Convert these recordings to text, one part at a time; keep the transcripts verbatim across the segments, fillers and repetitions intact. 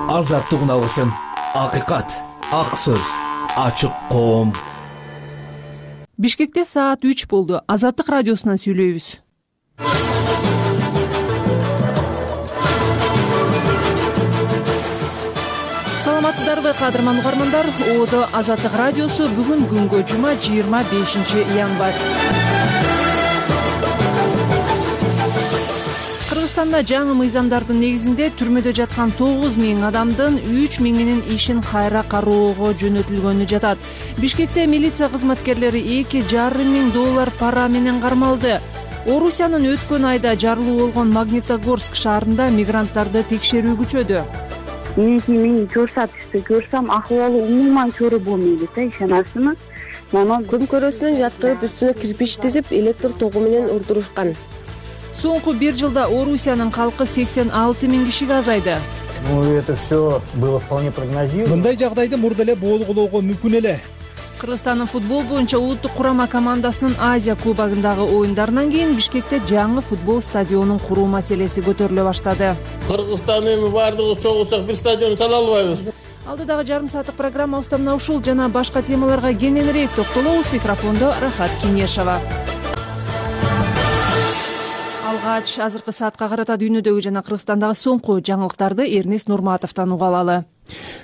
азаттык үналысын, акыйкат, ак сөз, ачык коом. Бишкекте саат үч болду. Азаттык радиосунан сүйлөйбүз. Саламатсыздарбы, кадырман угармандар? Оодо Азаттык радиосу бүгүн күнгө жума жыйырма бешинчи январь. Кыргызстанда жаңы мыйзамдардын негизинде түрмөдө жаткан тогуз миң адамдын үч миңинин ишин кайра кароого жөнөтүлгөнү жатат. Бишкекте милиция кызматкерлери эки жарым миң доллар пара менен кармалды. Орусиянын өткөн айда жарылуу болгон Магнитогорск шаарында мигранттарды текшерүү күчөдү. Эки мен көрсөтүштү көрсөм акыбалы умуман көрө болбойт да, ишенасызбы? Мана көмкөрөсүнөн жаткырып үстүнө кирпич тизип электр тогу менен урдурушкан. Соңку бир жылда Орусиянын калкы сексен алты миң кишиге азайды. Ну, это все было вполне прогнозируемо. Мындай жагдайды мурда эле болгулоого мүмкүн эле. Кыргызстандын футбол боюнча улуттук курама командасынын Азия кубогундагы оюндарынан кийин Бишкекте жаңы футбол стадионун куруу маселеси көтөрүлө баштады. Кыргызстан эми баардыгыбыз чогулсак бир стадион сала албайбыз. Алдыдагы жарым сааттык программабызда мына ушул жана башка темаларга кененирээк токтолобуз. Микрофондо Рахат Кинешова. Алгач азыркы саатка карата дүйнөдөгү жана Кыргызстандагы соңку жаңылыктарды Эрнест Нурматовдон уга алалы.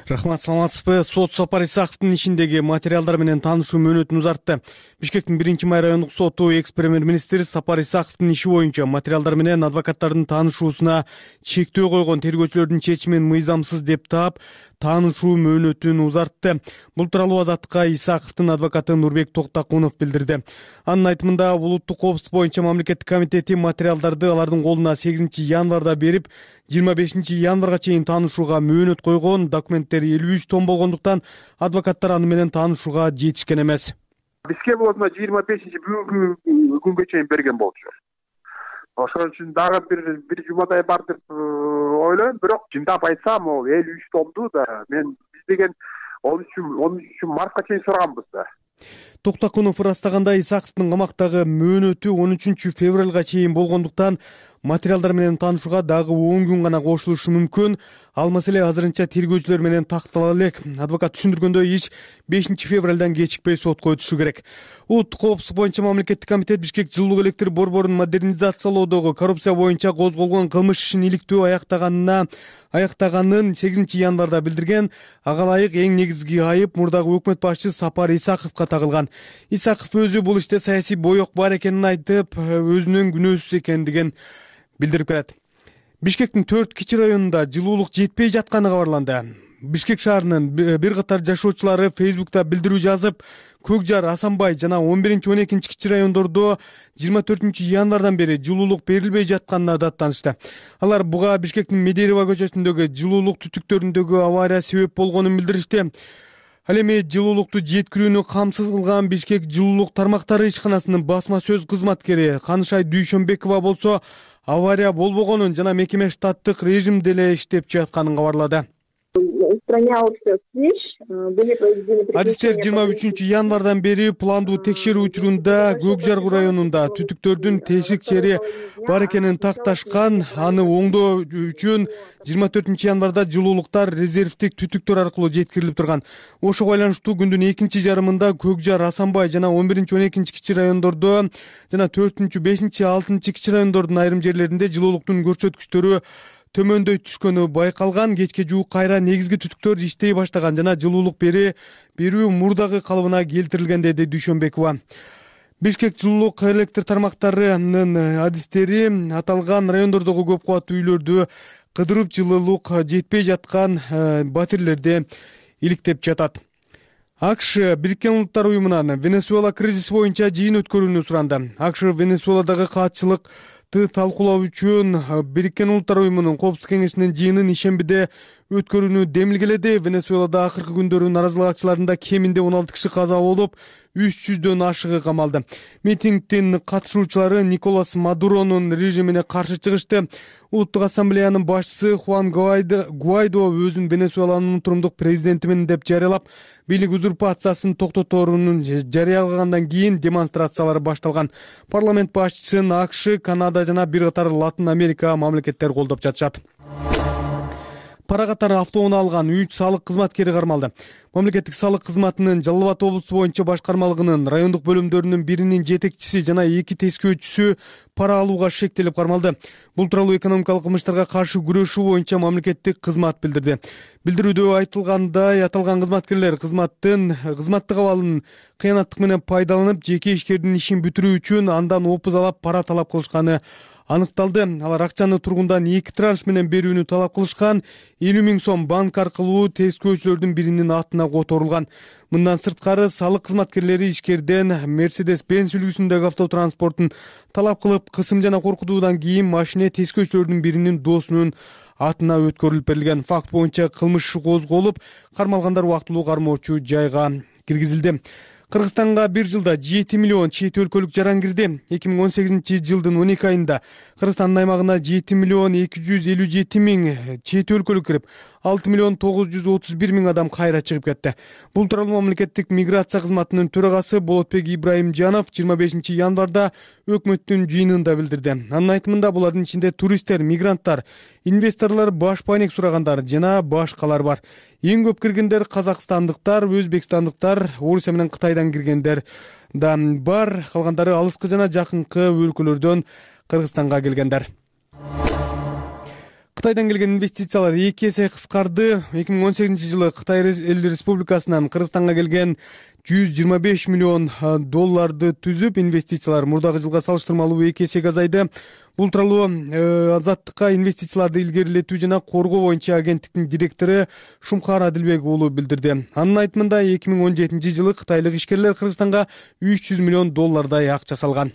Рахмат, саламатсызбы? Сот Сапар Исаковдун ишиндеги материалдар менен таанышуу мөөнөтүн узартты. Бишкектин биринчи май райондук соту экс-премьер-министр Сапар Исаковдун иши боюнча материалдар менен адвокаттардын таанышуусуна чектөө койгон тергөөчүлөрдүн чечимин мыйзамсыз деп таап, таанышуу мөөнөтүн узартты. Бул тууралуу Азаттыкка Исаковдун адвокаты Нурбек Токтакунов билдирди. Анын айтымында, улуттук коопсуздук боюнча мамлекеттик комитети материалдарды алардын колуна сегизинчи январда берип, жыйырма бешинчи январга чейин таанышууга мөөнөт койгон. Документтер элүү үч том болгондуктан адвокаттар аны менен таанышууга жетишкен эмес. Бизге болсо жыйырма бешинчи бүгүнкү күнгө чейин берген болчу. Ошон үчүн дагы бир бир жумадай бар деп ойлойм, бирок чындап айтсам, ол элүү үч томду да мен биз деген он үч мартка чейин сураганбыз да. Токтакунов ырастагандай, Исаковдун камактагы мөөнөтү он үчүнчү февралга чейин болгондуктан материалдар менен таанышууга дагы он күн гана кошулушу мүмкүн. Ал маселе азырынча тергөөчүлөр менен тактала элек. Адвокат түшүндүргөндөй, иш бешинчи февралдан кечикпей сотко өтүшү керек. Улуттук коопсуздук боюнча мамлекеттик комитет Бишкек жылуулук электр борборун модернизациялоодогу коррупция боюнча козголгон кылмыш ишин иликтөө аяктаганына аяктаганын сегизинчи январда билдирген. Ага ылайык эң негизги айып мурдагы өкмөт башчы Сапар Исаковго тагылган. Исаков өзү бул иште саясий боек бар экенин айтып, өзүнүн күнөөсүз экендигин билдирип келет. Бишкектин төрт кичи районунда жылуулук жетпей жатканы кабарланды. Бишкек шаарынын бир катар жашоочулары Фейсбукта билдирүү жазып, Көкжар, Асанбай жана он биринчи он экинчи кичи райондордо жыйырма төртүнчү январдан бери жылуулук берилбей жатканына даттанышты. Алар буга Бишкектин Медерева көчөсүндөгү жылуулук түтүктөрүндөгү авария себеп болгонун билдиришти. Ал эми жылуулукту жеткирүүнү камсыз кылган Бишкек жылуулук тармактары ишканасынын басма сөз кызматкери Канышай Дүйшөнбекова болсо авария болбогонун жана мекеме штаттык режимде эле иштеп жатканын кабарлады. Адистер жыйырма үчүнчү январдан бери пландуу текшерүү учурунда Көкжар районунда түтүктөрдүн тешик чери бар экенин такташкан. Аны оңдоо үчүн жыйырма төртүнчү январда жылуулуктар резервдик түтүктөр аркылуу жеткирилип турган. Ошого байланыштуу күндүн экинчи жарымында Көкжар, Асанбай жана он биринчи он экинчи кичи райондордо жана төртүнчү, бешинчи, алтынчы кичи райондордун айрым жерлеринде жылуулуктун көрсөткүчтөрү төмөндөй түшкөнү байкалган. Кечке жуук кайра негизги түтүктөр иштей баштаган жана жылуулук бери берүү мурдагы калыбына келтирилген, деди Дүйшөнбекова. Бишкек жылуулук электр тармактарынын адистери аталган райондордогу көп кубаттуу үйлөрдү кыдырып жылуулук жетпей жаткан батирлерди иликтеп жатат. АКШ Бириккен Улуттар уюмунан Венесуэла кризиси боюнча жыйын өткөрүүнү суранды. АКШ Венесуэладагы каатчылык талкуулоо үчүн Бириккен Улуттар уюмунун коопсуздук кеңешинин жыйынын ишембиде өткөрүүнү демилгеледи. Венесуэлада акыркы күндөрү наразылык акчыларында кеминде он алты киши каза болуп, үч жүздөн ашыгы камалды. Митингдин катышуучулары Николас Мадуронун режимине каршы чыгышты. Улуттук ассамблеянын башчысы Хуан Гуайдо өзүн Венесуэланын турумдук президентимин деп жарыялап, бийлик узурпациясын токтоторунун жарыялагандан кийин демонстрациялар башталган. Парламент башчысын АКШ, Канада жана бир катар Латын Америка мамлекеттери колдоп жатышат. Пара катары автоунаа алган үч салык кызматкери кармалды. Мамлекеттик салык кызматынын Жалал Абад облусу боюнча башкармалыгынын райондук бөлүмдөрүнүн биринин жетекчиси жана эки тескөөчүсү пара алууга шектелип кармалды. Бул тууралуу экономикалык кылмыштарга каршы күрөшүү боюнча мамлекеттик кызмат билдирди. Билдирүүдө айтылгандай, аталган кызматкерлер кызматтын кызматтык абалын кыянаттык менен пайдаланып, жеке ишкердин ишин бүтүрүү үчүн андан опузалап пара талап кылышканы аныкталды. Алар акчаны тургундан эки транш менен берүүнү талап кылышкан. элүү миң сом банк аркылуу тескөөчүлөрдүн биринин атына которулган. Мындан сырткары салык кызматкерлери ишкерден Mercedes-Benz үлгүсүндөгү автотранспортун талап кылып, кысым жана коркутуудан кийин машине тескөөчүлөрдүн биринин досунун атына өткөрүлүп берилген. Факт боюнча кылмыш иши козголуп, кармалгандар убактылуу кармоочу жайга киргизилди. Кыргызстанга бир жылда жети миллион чет өлкөлүк жаран кирди. эки миң он сегизинчи жылдын он эки айында Кыргызстандын аймагына жети миллион эки жүз элүү жети миң чет өлкөлүк кирип, алты миллион тогуз жүз отуз бир миң адам кайра чыгып кетти. Бул тууралуу мамлекеттик миграция кызматынын төрагасы Болотбек Ибраимжанов жыйырма бешинчи январда өкмөттүн жыйынында билдирди. Анын айтымында булардын ичинде туристтер, мигранттар, инвесторлор, баш пайнек сурагандар жана башкалар бар. Эң көп киргендер казакстандыктар, өзбекстандыктар, Орусия менен Кытайдан киргендер да бар. Калгандары алыскы жана жакынкы өлкөлөрдөн Кыргызстанга келгендер. Кытайдан келген инвестициялар эки эсе кыскарды. эки миң он сегизинчи жылы Кытай Эл Республикасынан Кыргызстанга келген жүз жыйырма беш миллион долларды түзүп, инвестициялар мурдагы жылга салыштырмалуу эки эсеге азайды. Бул тууралуу Азаттыкка инвестицияларды илгерилетүү жана коргоо боюнча агенттиктин директору Шумкар Адилбек уулу билдирди. Анын айтымында эки миң он жетинчи жылы кытайлык ишкерлер Кыргызстанга үч жүз миллион доллардай акча салган.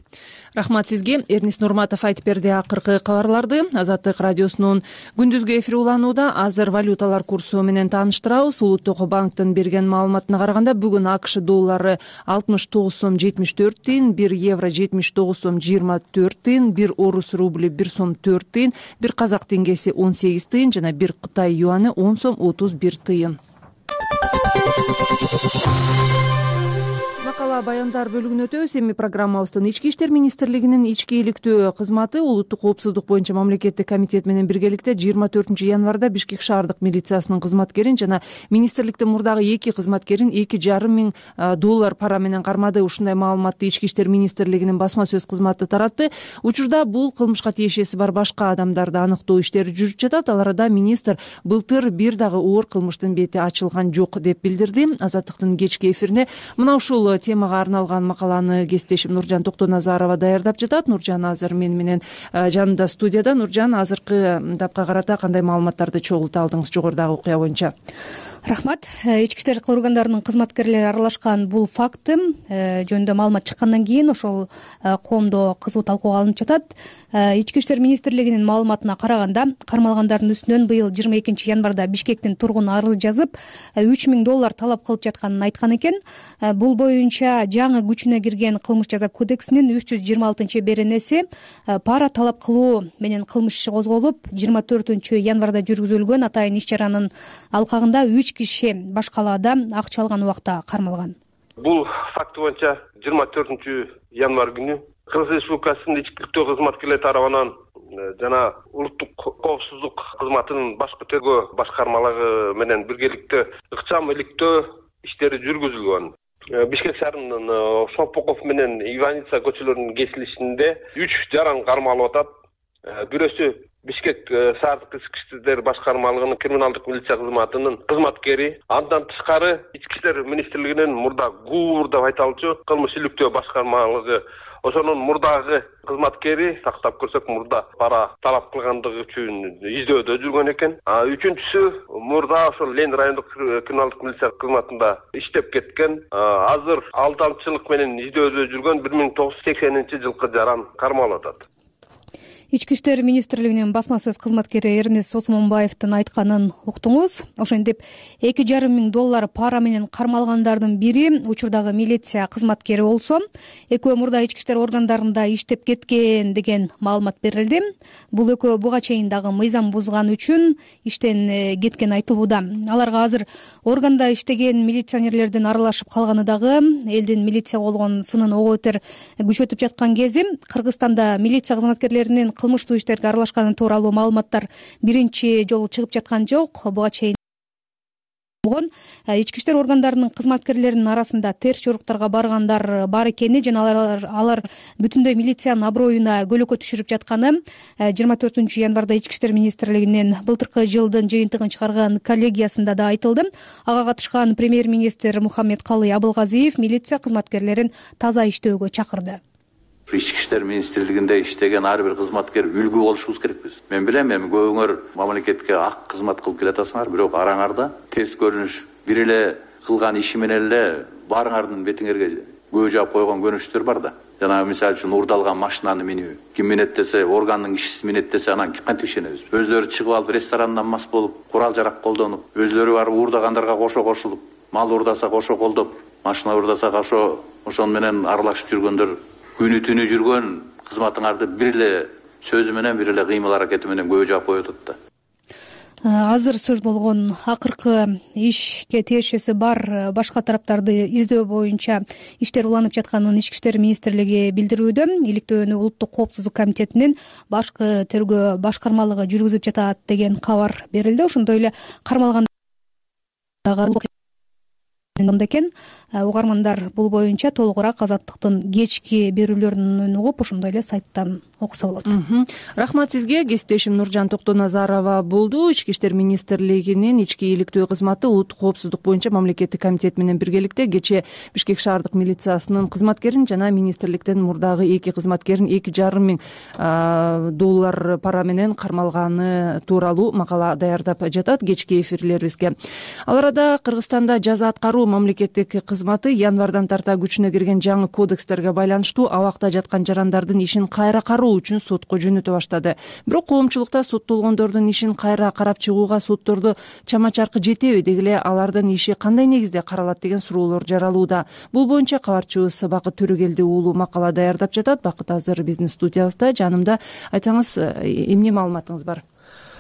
Рахмат сизге. Эрнис Нурматов айтып берди акыркы кабарларды. Азаттык радиосунун күндүзгү эфири уланууда. Азыр валюталар курсу менен тааныштырабыз. Улуттук банктын берген маалыматына караганда бүгүн АКШ доллары алтымыш тогуз сом жетимиш төрт тыйын, бир евро жетимиш тогуз сом жыйырма төрт тыйын, бир орус рубли бир сом төрт тыйын, бир казак теңгеси он сегиз тыйын жана бир Кытай юаны он сом отуз бир тыйын. Макала баяндар бөлүгүнө өтөбүз. Эми программабыздын Ички иштер министрлигинин ички иликтөө кызматы улуттук коопсуздук боюнча мамлекеттик комитет менен биргеликте жыйырма төртүнчү январда Бишкек шаардык милициясынын кызматкерин жана министрликтин мурдагы эки кызматкерин эки жарым миң доллар пара менен кармады. Ушундай маалыматты Ички иштер министрлигинин басма сөз кызматы таратты. Учурда бул кылмышка тиешеси бар башка адамдарды аныктоо иштери жүрүп жатат. Ал арада министр былтыр бир дагы оор кылмыштын бети ачылган жок деп билдирди. Азаттыктын кечки эфирине мына ушул темага арналган макаланы кесиптешим Нуржан Токтоназарова даярдап жатат. Нуржан азыр мен менен жанымда студияда. Нуржан, азыркы тапка карата кандай маалыматтарды чогулта алдыңыз жогорудагы окуя боюнча? Рахмат. Ички иштер органдарынын кызматкерлери аралашкан бул факты жөнүндө маалымат чыккандан кийин ошол коомдо кызуу талкууга алынып жатат. Ички иштер министрлигинин маалыматына караганда, кармалгандардын үстүнөн быйыл жыйырма экинчи январда Бишкектин тургуну арыз жазып, үч миң доллар талап кылып жатканын айткан экен. Бул боюнча жаңы күчүнө кирген кылмыш жаза кодексинин үч жүз жыйырма алтынчы беренеси пара талап кылуу менен кылмыш иши козголуп, жыйырма төртүнчү январда жүргүзүлгөн атайын иш чаранын алкагында үч киши башкалаада акча алган убакта кармалган. Бул факт боюнча жыйырма төртүнчү январ күнү Кыргыз Республикасынын ички иликтөө кызматкерлери тарабынан жана улуттук коопсуздук кызматынын башкы тергөө башкармалыгы менен биргеликте ыкчам иликтөө иштери жүргүзүлгөн. Бишкек шаарынын Шопоков менен Иваница көчөлөрүнүн кесилишинде үч жаран кармалып атат. Бирөөсү Бишкек шаардык ички иштер башкармалыгынын криминалдык милиция кызматынын кызматкери. Андан тышкары Ички иштер министрлигинин мурда ГУР деп айтылчу кылмыш иликтөө башкармалыгы ошонун мурдагы кызматкери, тактап көрсөк мурда пара талап кылгандыгы үчүн издөөдө жүргөн экен. Үчүнчүсү мурда ошол Лен райондук криминалдык милиция кызматында иштеп кеткен. Азыр алдамчылык менен издөөдө жүргөн бир миң тогуз жүз сексенинчи жылкы жаран кармалып атат. Ички иштер министрлигинин басма сөз кызматкери Эрнис Осмонбаевдин айтканын уктуңуз. Ошентип эки жарым миң доллар пара менен кармалгандардын бири учурдагы милиция кызматкери болсо, экөө мурда ички иштер органдарында иштеп кеткен деген маалымат берилди. Бул экөө буга чейин дагы мыйзам бузган үчүн иштен кеткен айтылууда. Аларга азыр органда иштеген милиционерлердин аралашып калганы дагы элдин милиция болгон сынын ого бетер күчөтүп жаткан кези. Кыргызстанда милиция кызматкерлеринин кылмыштуу иштерге аралашканы тууралуу маалыматтар биринчи жолу чыгып жаткан жок. Буга чейин ички иштер органдарынын кызматкерлеринин арасында терс жоруктарга баргандар бар экени жана алар алар бүтүндөй милициянын аброюна көлөкө түшүрүп жатканы жыйырма төртүнчү январда ички иштер министрлигинин былтыркы жылдын жыйынтыгын чыгарган коллегиясында да айтылды. Ага катышкан премьер-министр Мухаммедкалый Абылгазиев милиция кызматкерлерин таза иштөөгө чакырды. Ички иштер министрлигинде иштеген ар бир кызматкер үлгү болушубуз керекпиз. Мен билем, эми көбүңөр мамлекетке ак кызмат кылып келатасыңар, бирок араңарда терс көрүнүш бир эле кылган иши менен эле баарыңардын бетиңерге көө жаап койгон көнүштөр бар да. Жанагы мисалы үчүн урдалган машинаны минүү, ким минет десе, органдын кишиси минет десе, анан кантип ишенебиз? Өзлөрү чыгып алып ресторандан мас болуп, курал жарак колдонуп, өзлөрү барып уурдагандарга кошо кошулуп, мал уурдаса кошо колдоп, машина уурдаса кошо ошону менен аралашып жүргөндөр күнү түнү жүргөн кызматыңарды бир эле сөзү менен, бир эле кыймыл аракети менен көө жаап коюп атат да. Азыр сөз болгон акыркы ишке тиешеси бар башка тараптарды издөө боюнча иштер уланып жатканын ички иштер министрлиги билдирүүдө. Иликтөөнү Улуттук коопсуздук комитетинин башкы тергөө башкармалыгы жүргүзүп жатат деген кабар берилди. Ошондой эле кармалган экен. Угармандар бул боюнча толугураак Азаттыктын кечки берүүлөрүнөн угуп, ошондой эле сайттан окуса болот. Рахмат сизге. Кесиптешим Нуржан Токтоназарова болду. Ички иштер министрлигинин ички иликтөө кызматы Улуттук коопсуздук боюнча мамлекеттик комитет менен биргеликте кечээ Бишкек шаардык милициясынын кызматкерин жана министрликтен мурдагы эки кызматкерин эки жарым миң доллар пара менен кармалганы тууралуу макала даярдап жатат кечки эфирлерибизге. Ал арада Кыргызстанда жаза аткаруу мамлекеттик кызматы январдан тарта күчүнө кирген жаңы кодекстерге байланыштуу абакта жаткан жарандардын ишин кайра кароо үчүн сотко жөнөтө баштады. Бирок коомчулукта соттолгондордун ишин кайра карап чыгууга соттордо чама чаркы жетеби, деги эле алардын иши кандай негизде каралат деген суроолор жаралууда. Бул боюнча кабарчыбыз Бакыт Төрөгелди уулу макала даярдап жатат. Бакыт азыр биздин студиябызда. Жанымда, айтсаңыз, эмне маалыматыңыз бар?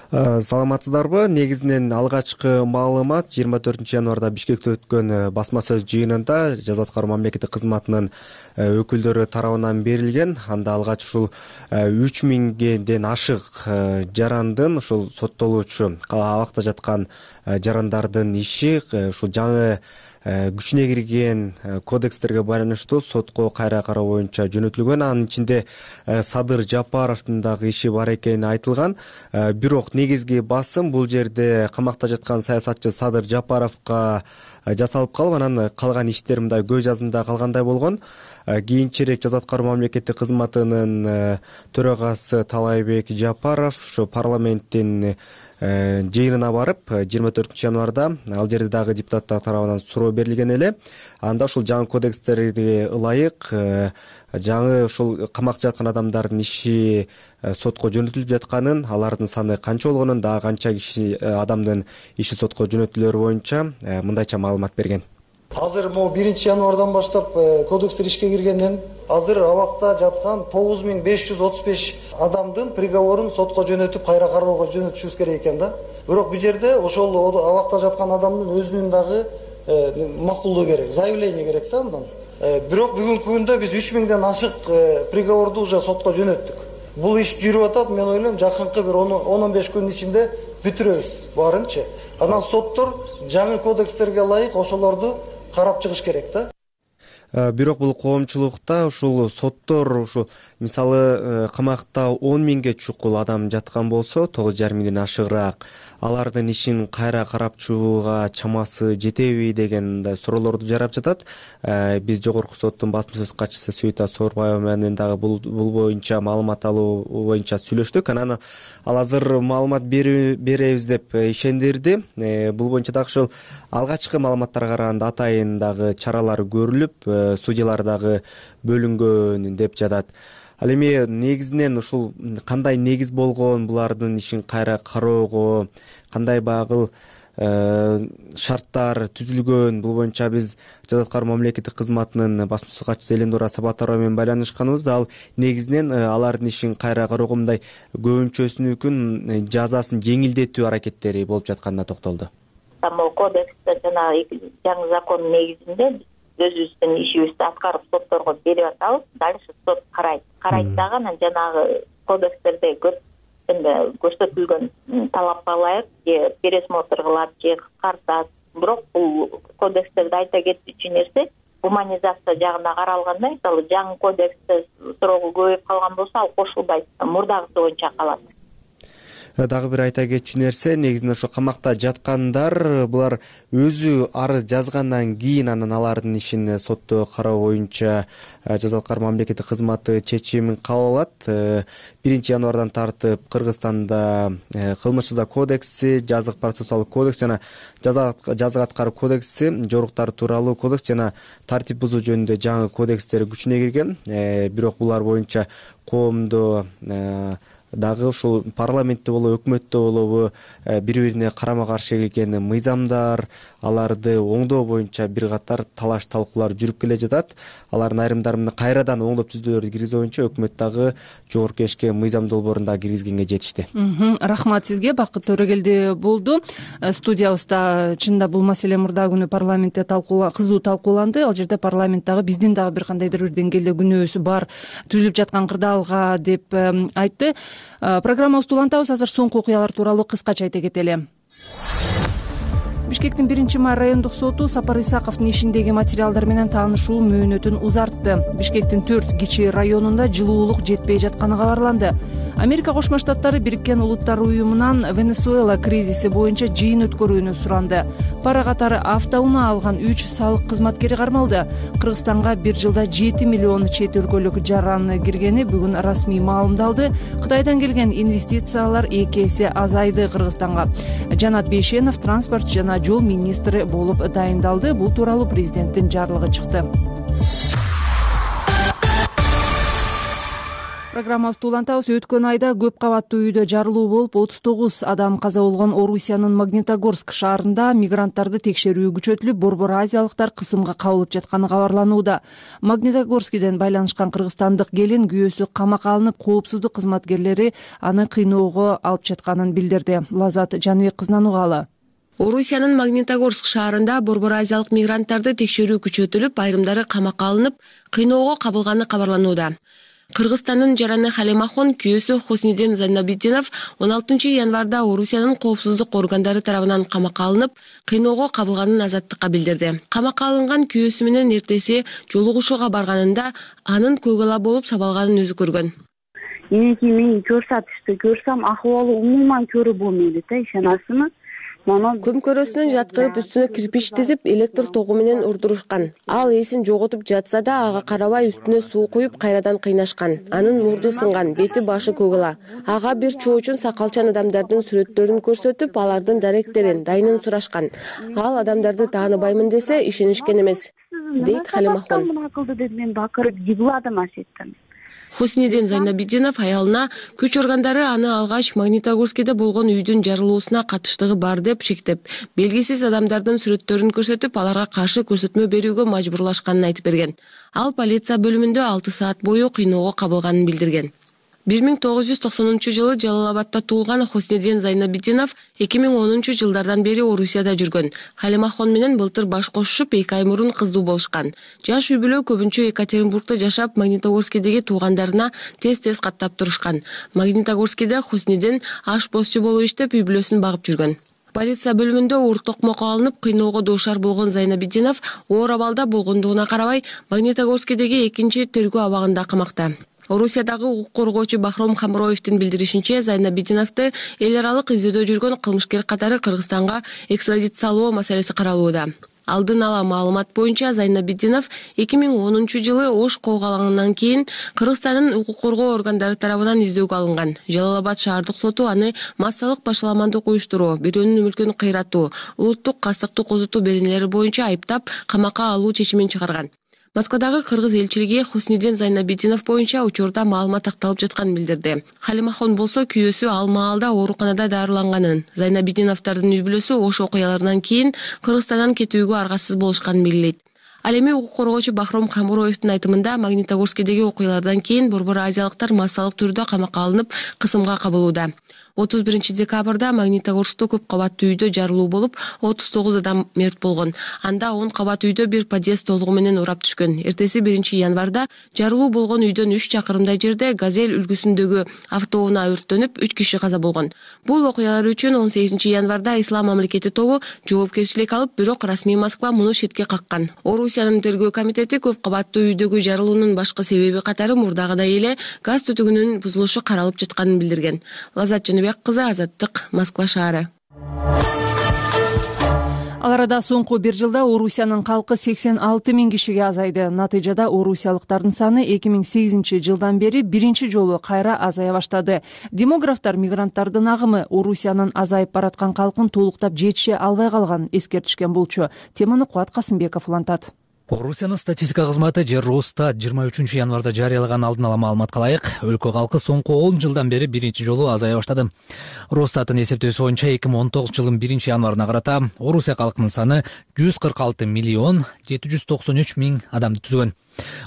Саламатсыздарбы? Негизинен алгачкы маалымат жыйырма төртүнчү январда Бишкекте өткөн басма сөз жыйынында жаза аткаруу мамлекеттик кызматынын өкүлдөрү тарабынан берилген. Анда алгач ушул үч миңден ашык жарандын, ушул соттолуучу абакта жаткан жарандардын иши ушул жаңы күчүнө кирген кодекстерге байланыштуу сотко кайра кароо боюнча жөнөтүлгөн. Анын ичинде Садыр Жапаровдун дагы иши бар экени айтылган. Бирок негизги басым бул жерде камакта жаткан саясатчы Садыр Жапаровго жасалып калып, анан калган иштер мындай көз жазында калгандай болгон. Кийинчерээк жаза аткаруу мамлекеттик кызматынын төрагасы Талайбек Жапаров ошо парламенттин жыйынына барып, жыйырма төртүнчү январда ал жерде дагы депутаттар тарабынан суроо берилген эле. Анда ушул жаңы кодекстерге ылайык жаңы ушул камакта жаткан адамдардын иши сотко жөнөтүлүп жатканын, алардын саны канча болгонун, дагы канча киши адамдын иши сотко жөнөтүлөрү боюнча мындайча маалымат берген. Азыр могу биринчи январдан баштап кодекстер ишке киргенден азыр абакта жаткан тогуз миң беш жүз отуз беш адамдын приговорун сотко жөнөтүп кайра кароого жөнөтүшүбүз керек экен да. Бирок бул жерде ошол абакта жаткан адамдын өзүнүн дагы макулдугу керек, заявление керек да андан. Бирок бүгүнкү күндө биз үч миңден ашык приговорду уже сотко жөнөттүк. Бул иш жүрүп атат, мен ойлойм жакынкы бир он он беш күнүн ичинде бүтүрөбүз баарынчы. Анан соттор жаңы кодекстерге ылайык ошолорду карап чыгыш керек да. Бирок бул коомчулукта ушул соттор ушул мисалы камакта он миңге чукул адам жаткан болсо, тогуз жарым миңден ашыгыраак алардын ишин кайра карап чыгууга чамасы жетеби деген суроолорду жарап жатат. Биз жогорку соттун басма сөз катчысы Сүйүта Соорбаева менен дагы бул бул боюнча маалымат алуу боюнча сүйлөштүк. Анан ал азыр маалымат беребиз деп ишендирди. Бул боюнча дагы ушул алгачкы маалыматтарга караганда атайын дагы чаралар көрүлүп, судьялар дагы бөлүнгөн деп жатат. Ал эми негизинен ушул кандай негиз болгон булардын ишин кайра кароого, кандай багыл шарттар түзүлгөн, бул боюнча биз жаза аткаруу мамлекеттик кызматынын басма сөз катчысы Элендура Сабатарова менен байланышканыбызда, ал негизинен алардын ишин кайра кароого мындай көбүнчөсүнүкүн жазасын жеңилдетүү аракеттери болуп жатканына токтолду. Могу кодексте жана жаңы закон негизинде өзүбүздүн ишибизди аткарып сотторго берип атабыз. Дальше сот карайт. Карайт дагы анан жанагы кодекстерде көрсөтүлгөн талапка ылайык же пересмотр кылат же кыскартат. Бирок бул кодекстерде айта кетүүчү нерсе гуманизация жагына каралганда, мисалы жаңы кодексте срогу көбөйүп калган болсо, ал кошулбайт, мурдагысы боюнча калат. Дагы бир айта кетчү нерсе, негизинен ошо камакта жаткандар булар өзү арыз жазгандан кийин анан алардын ишин сотто кароо боюнча Жаза аткаруу мамлекеттик кызматы чечимин кабыл алат. биринчи январдан тартып Кыргызстанда кылмыш жаза кодекси, жазык процессуалдык кодекс жана жаза аткаруу кодекси, жоруктар тууралуу кодекс жана тартип бузуу жөнүндө жаңы кодекстер күчүнө кирген. Бирок булар боюнча коомдо дагы ушул парламентте болобу, өкмөттө болобу бири бирине карама каршы келген мыйзамдар, аларды оңдоо боюнча бир катар талаш талкуулар жүрүп келе жатат. Алардын айрымдарын кайрадан оңдоп түзүүлөрдү киргизүү боюнча өкмөт дагы жогорку кеңешке мыйзам долбоорунда киргизгенге жетишти. Рахмат сизге. Бакыт Төрөгелди болду. Студиябызда чынында бул маселе мурда күнү парламентте талкуу кызуу талкууланды. Ал жерде парламенттагы биздин дагы бир кандайдыр бир деңгээлде күнөөсү бар түзүлүп жаткан кырдаалга деп айтты. Программабызды улантабыз. Азыр соңку окуялар тууралуу кыскача айта кетели. Бишкектин биринчи май райондук соту Сапар Исаковдун ишиндеги материалдар менен таанышуу мөөнөтүн узартты. Бишкектин төрт кичи районунда жылуулук жетпей жатканы кабарланды. Америка Кошмо Штаттары Бириккен Улуттар уюмунан Венесуэла кризиси боюнча жыйын өткөрүүнү суранды. Пара катары автоунаа алган үч салык кызматкери кармалды. Кыргызстанга бир жылда жети миллион чет өлкөлүк жаран киргени бүгүн расмий маалымдалды. Кытайдан келген инвестициялар эки эсе азайды Кыргызстанга. Жанат Бейшенов транспорт жана жол министри болуп дайындалды. Бул тууралуу президенттин жарлыгы чыкты. Программабызды улантабыз. Өткөн айда көп кабаттуу үйдө жарылуу болуп, отуз тогуз адам каза болгон Орусиянын Магнитогорск шаарында мигранттарды текшерүү күчөтүлүп, борбор азиялыктар кысымга кабылып жатканы кабарланууда. Магнитогорскиден байланышкан кыргызстандык келин күйөөсү камакка алынып, коопсуздук кызматкерлери аны кыйноого алып жатканын билдирди. Лазат Жаныбек кызынан угалы. Орусиянын Магнитогорск шаарында борбор азиялык мигранттарды текшерүү күчөтүлүп, айрымдары камакка алынып, кыйноого кабылганы кабарланууда. Кыргызстандын жараны Халимахон күйөөсү Хуснидин Зайнабитдинов он алтынчы январда Орусиянын коопсуздук органдары тарабынан камакка алынып, кыйноого кабылганын азаттыкка билдирди. Камакка алынган күйөөсү менен эртеси жолугушууга барганында анын көгала болуп сабалганын өзү көргөн. Эки мен көрсөтүштү көрсөм акыбалы умуман көрө болбойт да, ишенасызбы? Көмкөрөсүнөн жаткырып, үстүнө кирпич тизип, электр тогу менен урдурушкан. Ал эсин жоготуп жатса да, ага карабай үстүнө суу куюп кайрадан кыйнашкан. Анын мурду сынган, бети башы көгала. Ага бир чоочун сакалчан адамдардын сүрөттөрүн көрсөтүп, алардын даректерин, дайынын сурашкан. Ал адамдарды тааныбаймын десе, ишенишкен эмес, дейт Халимахон. Мен бакырып жыгладым асеттен. Хуснидин Зайнабитдинов аялына күч органдары аны алгач Магнитогорскиде болгон үйдүн жарылуусуна катыштыгы бар деп шектеп, белгисиз адамдардын сүрөттөрүн көрсөтүп, аларга каршы көрсөтмө берүүгө мажбурлашканын айтып берген. Ал полиция бөлүмүндө алты саат бою кыйноого кабылганын билдирген. бир миң тогуз жүз токсонунчу жылы Жалал-Абадта туулган Хуснидин Зайнабитдинов эки миң онунчу жылдардан бери Орусияда жүргөн. Халимахон менен былтыр баш кошушуп, эки ай мурун кыздуу болушкан. Жаш үй бүлө көбүнчө Екатеринбургда жашап, Магнитогорскидеги туугандарына тез-тез каттап турушкан. Магнитогорскиде Хуснидин ашпозчу болуп иштеп, үй бүлөсүн багып жүргөн. Полиция бөлүмүндө уур токмокко алынып, кыйноого дуушар болгон Зайнабитдинов оор абалда болгондугуна карабай, Магнитогорскидеги экинчи тергөө абагында камакта. Орусиядагы укук коргоочу Бахром Хамроевдин билдиришинче, Зайнабитдиновду эл аралык издөөдө жүргөн кылмышкер катары Кыргызстанга экстрадициялоо маселеси каралууда. Алдын ала маалымат боюнча Зайнабитдинов эки миң онунчу жылы Ош коогалаңынан кийин Кыргызстандын укук коргоо органдары тарабынан издөөгө алынган. Жалал-Абад шаардык соту аны массалык башаламандык уюштуруу, бирөөнүн мүлкүн кыйратуу, улуттук кастыкты козутуу беренелери боюнча айыптап, камакка алуу чечимин чыгарган. Москвадагы кыргыз элчилиги Хуснидин Зайнабитдинов боюнча учурда маалымат такталып жатканын билдирди. Халимахон болсо күйөөсү ал маалда ооруканада дарыланганын, Зайнабитдиновдордун үй бүлөсү Ош окуяларынан кийин Кыргызстандан кетүүгө аргасыз болушканын белгилейт. Ал эми укук коргоочу Бахром Хамроевдин айтымында, Магнитогорскидеги окуялардан кийин борбор азиялыктар массалык түрдө камакка алынып, кысымга кабылууда. отуз биринчи декабрда Магнитогорскто көп кабаттуу үйдө жарылуу болуп, отуз тогуз адам мерт болгон. Анда он кабат үйдө бир подъезд толугу менен урап түшкөн. Эртеси биринчи январда жарылуу болгон үйдөн үч чакырымдай жерде Газель үлгүсүндөгү автоунаа өрттөнүп, үч киши каза болгон. Бул окуялар үчүн он сегизинчи январда Ислам мамлекети тобу жоопкерчилик алып, бирок расмий Москва муну четке каккан. Орусиянын тергөө комитети көп кабаттуу үйдөгү жарылуунун башкы себеби катары мурдагыдай эле газ түтүгүнүн бузулушу каралып жатканын билдирген. Лаззат Жаныбек кызы, Азаттык, Москва шаары. Ал арада соңку бир жылда Орусиянын калкы сексен алты миң кишиге азайды. Натыйжада орусиялыктардын саны эки миң сегизинчи жылдан бери биринчи жолу кайра азая баштады. Демографтар мигранттардын агымы Орусиянын азайып бараткан калкын толуктап жетише албай калганын эскертишкен болчу. Теманы Кубат Касымбеков улантат. Орусиянын статистика кызматы же Росстат жыйырма үчүнчү январда жарыялаган алдын ала маалыматка ылайык, өлкө калкы соңку он жылдан бери биринчи жолу азая баштады. Росстаттын эсептөөсү боюнча эки миң он тогузунчу жылдын биринчи январына карата Орусия калкынын саны жүз кырк алты миллион жети жүз токсон үч миң адамды түзгөн.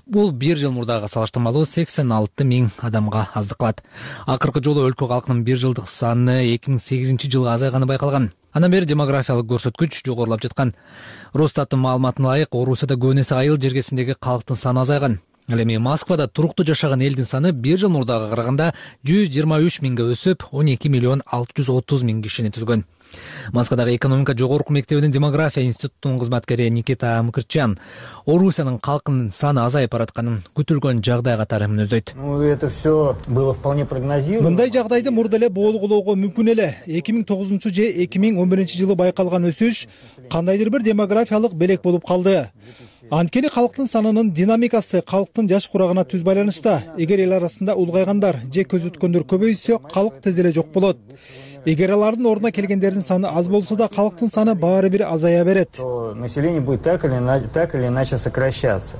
Бул бир жыл мурдага салыштырмалуу сексен алты миң адамга аздык кылат. Акыркы жолу өлкө калкынын бир жылдык саны эки миң сегизинчи жылы азайганы байкалган. Андан бери демографиялык көрсөткүч жогорулап жаткан. Росстаттын маалыматына ылайык, Орусияда көбүнесе айыл жергесиндеги калктын саны азайган. Ал эми Москвада туруктуу жашаган элдин саны бир жыл мурдага караганда жүз жыйырма үч миңге өсүп, он эки миллион алты жүз отуз миң кишини түзгөн. Москвадагы экономика жогорку мектебинин демография институтунун кызматкери Никита Мкрчан Орусиянын калкынын саны азайып баратканын күтүлгөн жагдай катары мүнөздөйт. Это все было вполне прогнозируемо. Мындай жагдайды мурда эле болгулоого мүмкүн эле. эки миң тогузунчу же эки миң он биринчи жылы байкалган өсүш кандайдыр бир демографиялык белек болуп калды. Анткени калктын санынын динамикасы калктын жаш курагына түз байланышта. Эгер эл арасында улгайгандар же көзөткөндөр көбөйсө, калк тез эле жок болот. Эгер алардын ордуна келгендердин саны аз болсо да, калктын саны баары бир азая берет. Население будет так или иначе сокращаться.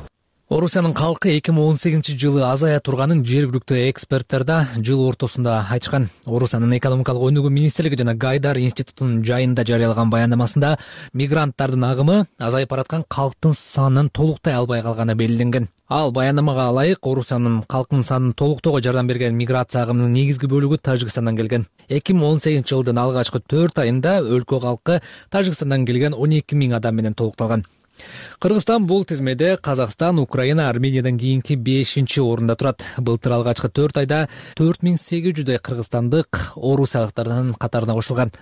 Орусиянын калкы эки миң он сегизинчи жылы азая турганын жергиликтүү эксперттер да жыл ортосунда айтышкан. Орусиянын экономикалык өнүгүү министрлиги жана Гайдар институтунун жайында жарыялаган баяндамасында мигранттардын агымы азайып бараткан калктын санын толуктай албай калганы белгиленген. Ал баяндамага ылайык, Орусиянын калкынын санын толуктоого жардам берген миграция агымынын негизги бөлүгү Тажикстандан келген. эки миң он сегизинчи жылдын алгачкы төрт айында өлкө калкы Тажикстандан келген он эки миң адам менен толукталган. Кыргызстан бул тизмеде Казакстан, Украина, Армениядан кийинки бешинчи орунда турат. Былтыр алгачкы төрт айда төрт миң сегиз жүздөй кыргызстандык орусиялыктардын катарына кошулган.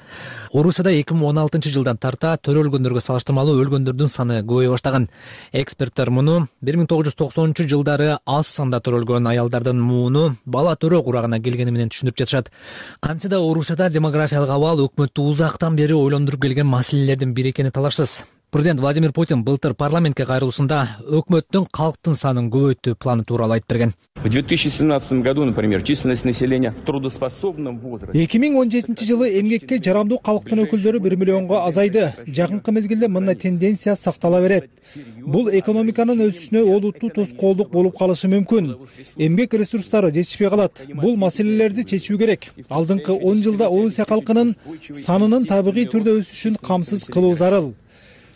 Орусияда эки миң он алтынчы жылдан тарта төрөлгөндөргө салыштырмалуу өлгөндөрдүн саны көбөйө баштаган. Эксперттер муну бир миң тогуз жүз токсонунчу жылдары аз санда төрөлгөн аялдардын мууну бала төрө курагына келгени менен түшүндүрүп жатышат. Кантсе да Орусияда демографиялык абал өкмөттү узактан бери ойлондуруп келген маселелердин бири экени талашсыз. Президент Владимир Путин былтыр парламентке кайрылуусунда өкмөттүн калктын санын көбөйтүү планы тууралуу айтып берген. В две тысячи семнадцатом году, например, численность населения в трудоспособном возрасте. эки миң он жетинчи жылы эмгекке жарамдуу калктын өкүлдөрү бир миллионго азайды. Жакынкы мезгилде мындай тенденция сактала берет. Бул экономиканын өсүшүнө олуттуу тоскоолдук болуп калышы мүмкүн. Эмгек ресурстары жетишпей калат. Бул маселелерди чечүү керек. Алдыңкы он жылда Орусия калкынын санынын табигый түрдө өсүшүн камсыз кылуу зарыл.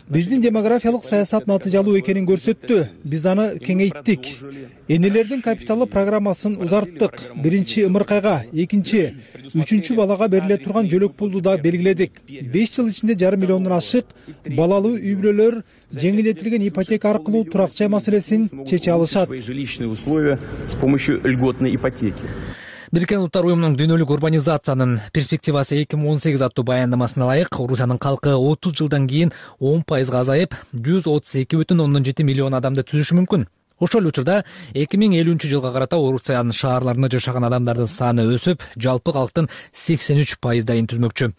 Биздин демографиялык саясат натыйжалуу экенин көрсөттү. Биз аны кеңейттик. Энелердин капиталы программасын узарттык. Биринчи ымыркайга, экинчи, үчүнчү балага бериле турган жөлөк пулду да белгиледик. беш жыл ичинде жарым миллиондон ашык балалуу үй бүлөлөр жеңилдетилген ипотека аркылуу турак жай маселесин чече алышат. Жилищные условия с помощью льготной ипотеки. Бириккен Улуттар уюмунун дүйнөлүк урбанизациянын перспективасы эки миң он сегиз аттуу баяндамасына ылайык, Орусиянын калкы отуз жылдан кийин он пайызга азайып, жүз отуз эки бүтүн ондон жети миллион адамды түзүшү мүмкүн. Ошол эле учурда эки миң элүүнчү жылга карата Орусиянын шаарларында жашаган адамдардын саны өсүп, жалпы калктын сексен үч пайыздайын түзмөкчү.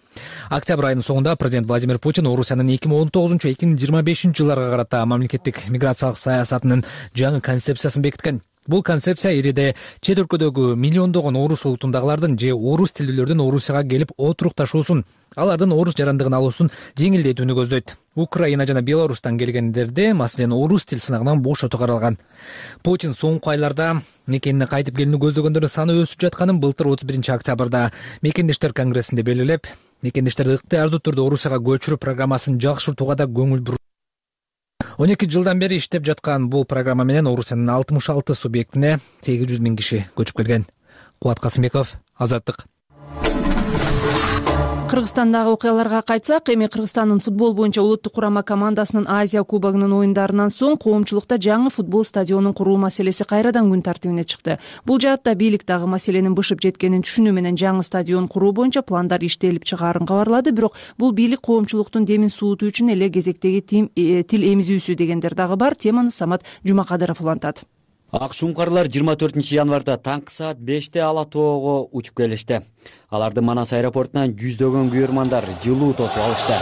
Октябрь айынын соңунда президент Владимир Путин Орусиянын эки миң он тогузунчу эки миң жыйырма бешинчи жылдарга карата мамлекеттик миграциялык саясатынын жаңы концепциясын бекиткен. Бул концепция ириде чет өлкөдөгү миллиондогон орус улутундагылардын же орус тилдүүлөрдүн Орусияга келип отурукташуусун, алардын орус жарандыгын алуусун жеңилдетүүнү көздөйт. Украина жана Беларустан келгендерди, маселен, орус тил сынагынан бошотуу каралган. Путин соңку айларда мекенине кайтып келүүнү көздөгөндөрдүн саны өсүп жатканын былтыр отуз биринчи октябрда Мекендештер конгрессинде белгилеп, мекендештерди ыктыярдуу түрдө Орусияга көчүрүү программасын жакшыртууга да көңүл буруп. он эки жылдан бери иштеп жаткан бул программа менен Орусиянын алтымыш алты субъектине сегиз жүз миң киши көчүп келген. Кубат Касымбеков, Азаттык. Кыргызстандагы окуяларга кайтсак, эми Кыргызстандын футбол боюнча улуттук курама командасынын Азия кубогунун оюндарынан соң коомчулукта жаңы футбол стадионун куруу маселеси кайрадан күн тартибине чыкты. Бул жаатта бийлик дагы маселенин бышып жеткенин түшүнүү менен жаңы стадион куруу боюнча пландар иштелип чыгаарын кабарлады. Бирок бул бийлик коомчулуктун демин суутуу үчүн эле кезектеги тил эмизүүсү дегендер дагы бар. Теманы Самат Жумакадыров улантат. Ак шумкарлар жыйырма төртүнчү январда таңкы саат беште Ала тоого учуп келишти. Аларды Манас аэропортунан жүздөгөн күйөрмандар жылуу тосуп алышты.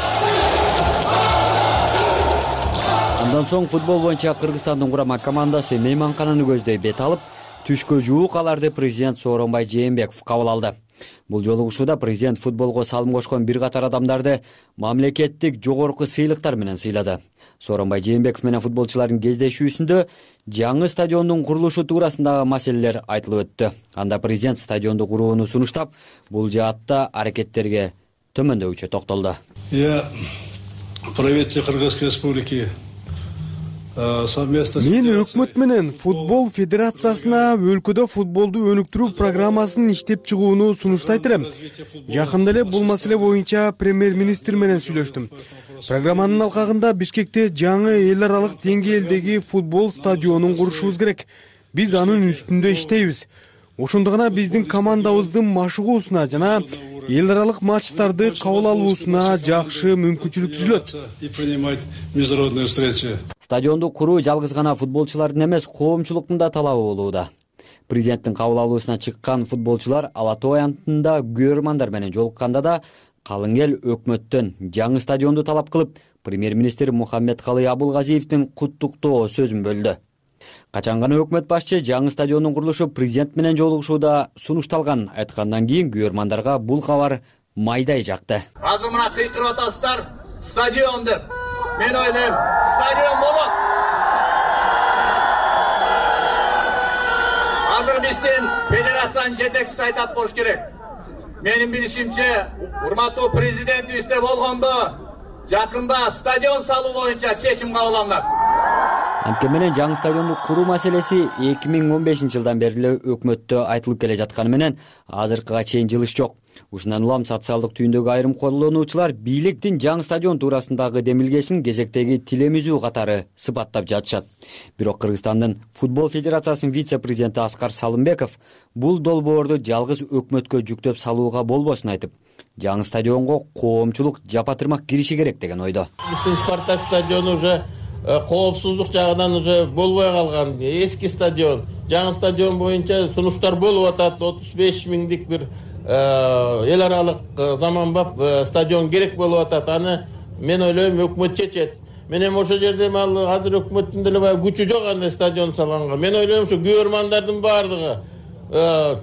Андан соң футбол боюнча Кыргызстандын курама командасы мейманкананы көздөй бет алып, түшкө жуук аларды президент Сооронбай Жээнбеков кабыл алды. Бул жолугушууда президент футболго салым кошкон бир катар адамдарды мамлекеттик жогорку сыйлыктар менен сыйлады. Сооронбай Жээнбеков менен футболчулардын кездешүүсүндө жаңы стадиондун курулушу туурасындагы маселелер айтылып өттү. Анда президент стадионду курууну сунуштап, бул жаатта аракеттерге төмөндөкчө токтолду. Я правительство Кыргызской республики совместно Мен өкмөт менен футбол федерациясына өлкөдө футболду өнүктүрүү программасын иштеп чыгууну сунуштайт элем. Жакында эле бул маселе боюнча премьер-министр менен сүйлөштүм. Программанын алкагында Бишкекте жаңы эл аралык деңгээлдеги футбол стадионун курушубуз керек. Биз анын үстүндө иштейбиз. Ошондо гана биздин командабыздын машыгуусуна жана эл аралык матчтарды кабыл алуусуна жакшы мүмкүнчүлүк түзүлөт. Стадионду куруу жалгыз гана футболчулардын эмес, коомчулуктун да талабы болууда. Президенттин кабыл алуусуна чыккан футболчулар Ала тоо аянтында күйөрмандар менен жолукканда да калың эл өкмөттөн жаңы стадионду талап кылып, премьер-министр Мухаммедкалый Абулгазиевдин куттуктоо сөзүн бөлдү. Качан гана өкмөт башчы жаңы стадиондун курулушу президент менен жолугушууда сунушталган айткандан кийин күйөрмандарга бул кабар майдай жакты. Азыр мына кыйкырып атасыздар, стадион деп. Мен ойлойм, стадион болот. Азыр биздин федерациянын жетекчиси айтат болуш керек. Менин билишимче, урматтуу президентибизде болгондо жакында стадион салуу боюнча чечим кабыл алынат. Анткени менен жаңы стадионду куруу маселеси эки миң он бешинчи жылдан бери эле өкмөттө айтылып келе жатканы менен азыркыга чейин жылыш жок. Ушундан улам социалдык түйүндөгү айрым колдонуучулар бийликтин жаңы стадион туурасындагы демилгесин кезектеги тил эмизүү катары сыпаттап жатышат. Бирок Кыргызстандын футбол федерациясынын вице-президенти Аскар Салымбеков бул долбоорду жалгыз өкмөткө жүктөп салууга болбосун айтып, жаңы стадионго коомчулук жапатырмак кириши керек деген ойдо. Биздин Спартак стадиону уже коопсуздук жагынан уже болбой калган, эски стадион. Жаңы стадион боюнча сунуштар болуп атат, отуз беш миңдик бир эл аралык заманбап стадион керек болуп атат. Аны мен ойлойм өкмөт чечет. Мен эми ошол жерде ал азыр өкмөттүн деле баягы күчү жок андай стадион салганга. Мен ойлойм ушу күйөрмандардын баардыгы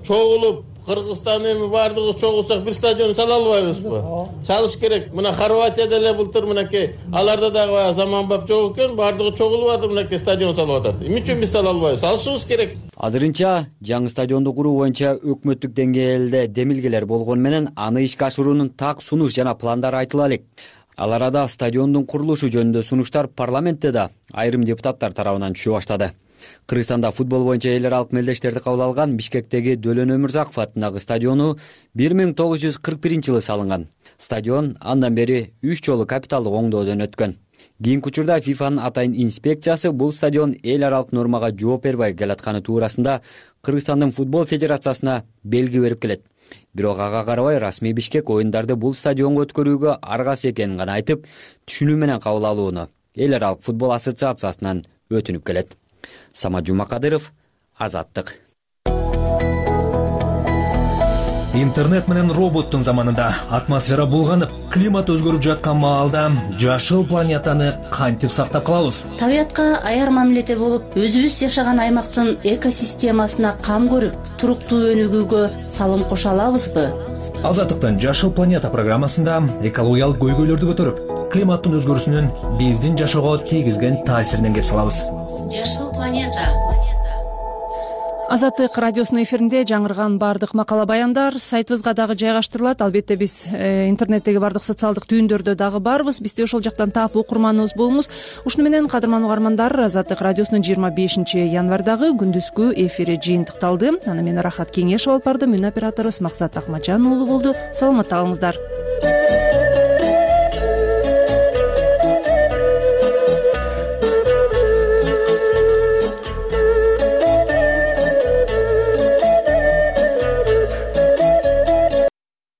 чогулуп, Кыргызстан эми баардыгыбыз чогулсак бир стадион сала албайбызбы? Салыш керек. Мына Хорватияда эле былтыр мынакей аларда дагы заманбап жок экен, баардыгы чогулуп атып мынакей стадион салып атат. Эмне үчүн биз сала албайбыз? Салышыбыз керек. Азырынча жаңы стадионду куруу боюнча өкмөттүк деңгээлде демилгелер болгону менен аны ишке ашыруунун так сунуш жана пландары айтыла элек. Ал арада стадиондун курулушу жөнүндө сунуштар парламентте да айрым депутаттар тарабынан түшө баштады. Кыргызстанда футбол боюнча эл аралык мелдештерди кабыл алган Бишкектеги Дөлөн Өмүрзаков атындагы стадиону бир миң тогуз жүз кырк биринчи жылы салынган. Стадион андан бери үч жолу капиталдык оңдоодон өткөн. Кийинки учурда ФИФАнын атайын инспекциясы бул стадион эл аралык нормага жооп бербей келатканы туурасында Кыргызстандын футбол федерациясына белги берип келет. Бирок ага карабай расмий Бишкек оюндарды бул стадионго өткөрүүгө аргасыз экенин гана айтып, түшүнүү менен кабыл алууну эл аралык футбол ассоциациясынан өтүнүп келет. Самат Жумакадыров, Азаттык. Интернет менен роботтун заманында атмосфера булганып, климат өзгөрүп жаткан маалда жашыл планетаны кантип сактап калабыз? Табиятка аяр мамиледе болуп, өзүбүз жашаган аймактын экосистемасына кам көрүп, туруктуу өнүгүүгө салым кошо алабызбы? Азаттыктын Жашыл планета программасында экологиялык көйгөйлөрдү көтөрүп, климаттын өзгөрүүсүнүн биздин жашоого тийгизген таасиринен кеп салабыз. Жашыл планета. Азаттык радиосунун эфиринде жаңырган баардык макала баяндар сайтыбызга дагы жайгаштырылат. Албетте биз интернеттеги баардык социалдык түйүндөрдө дагы барбыз. Бизди ошол жактан таап окурманыбыз болуңуз. Ушуну менен кадырман угармандар, Азаттык радиосунун жыйырма бешинчи январдагы күндүзгү эфири жыйынтыкталды. Аны мен Рахат Кеңешов алып бардым. Үн операторубуз Максат Акмаджан уулу болду. Саламатта калыңыздар.